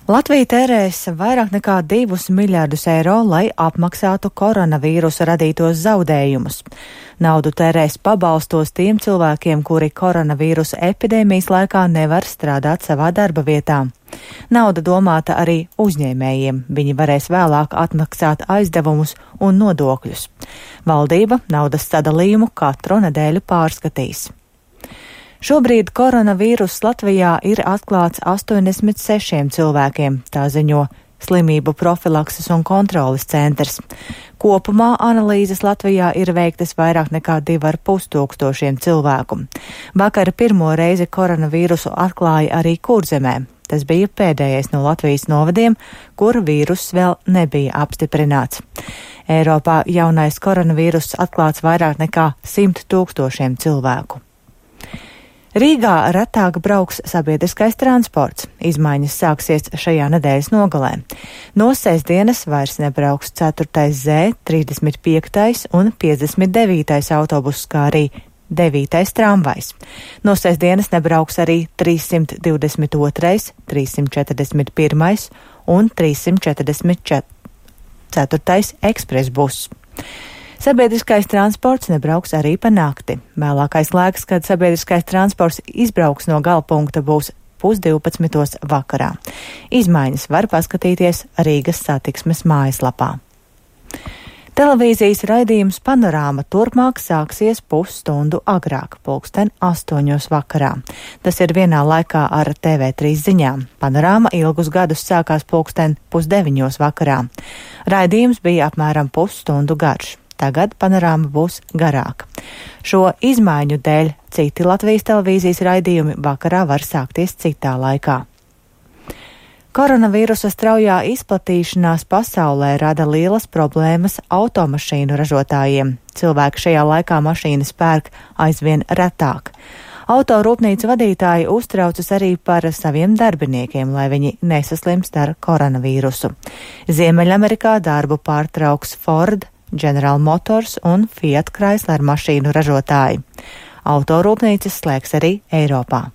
Latvija tērēs vairāk nekā 2 miljārdus eiro, lai apmaksātu koronavīrusa radītos zaudējumus. Naudu tērēs pabalstos tiem cilvēkiem, kuri koronavīrusa epidēmijas laikā nevar strādāt savā darba vietā. Nauda domāta arī uzņēmējiem. Viņi varēs vēlāk atmaksāt aizdevumus un nodokļus. Valdība naudas sadalījumu katru nedēļu pārskatīs. Šobrīd koronavīruss Latvijā ir atklāts 86 cilvēkiem, tā ziņo Slimību profilakses un kontroles centrs. Kopumā analīzes Latvijā ir veiktas vairāk nekā 2,5 tūkstošiem cilvēku. Vakar pirmo reizi koronavīrusu atklāja arī Kurzemē. Tas bija pēdējais no Latvijas novadiem, kur vīruss vēl nebija apstiprināts. Eiropā jaunais koronavīruss atklāts vairāk nekā 100 tūkstošiem cilvēku. Rīgā retāk brauks sabiedriskais transports. Izmaiņas sāksies šajā nedēļas nogalē. No sestdienas vairs nebrauks 4. Z, 35. un 59. autobuss, kā arī 9. tramvajs. No sestdienas nebrauks arī 322., 341. un 344. ekspresbuss. Sabiedriskais transports nebrauks arī pa nakti. Vēlākais laiks, kad sabiedriskais transports izbrauks no galapunkta, būs 11:30 vakarā. Izmaiņas var paskatīties Rīgas satiksmes mājaslapā. Televīzijas raidījums Panorāma turpmāk sāksies pusstundu agrāk, 8:00 vakarā. Tas ir vienā laikā ar TV3 ziņām. Panorāma ilgus gadus sākās 8:30 vakarā. Raidījums bija apmēram pusstundu garš. Tagad Panorāma būs garāka. Šo izmaiņu dēļ citi Latvijas televīzijas raidījumi vakarā var sākties citā laikā. Koronavīrusa straujā izplatīšanās pasaulē rada lielas problēmas automašīnu ražotājiem. Cilvēki šajā laikā mašīnas pērk aizvien retāk. Autorūpnīcu vadītāji uztraucas arī par saviem darbiniekiem, lai viņi nesaslimst ar koronavīrusu. Ziemeļamerikā darbu pārtrauks Ford, General Motors un Fiat Chrysler mašīnu ražotāji. Autorūpnīcas slēgs arī Eiropā.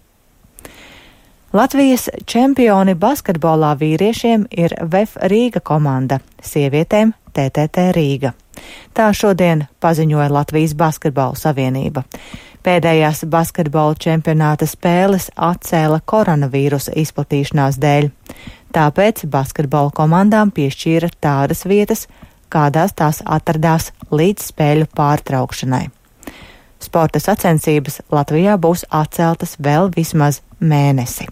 Latvijas čempioni basketbolā vīriešiem ir VF Rīga komanda, sievietēm TTT Rīga. Tā šodien paziņoja Latvijas Basketbola savienība. Pēdējās basketbola čempionāta spēles atcēla koronavīrusa izplatīšanās dēļ. Tāpēc basketbola komandām piešķīra tādas vietas, kādās tās atradās līdz spēļu pārtraukšanai. Sporta sacensības Latvijā būs atceltas vēl vismaz mēnesi.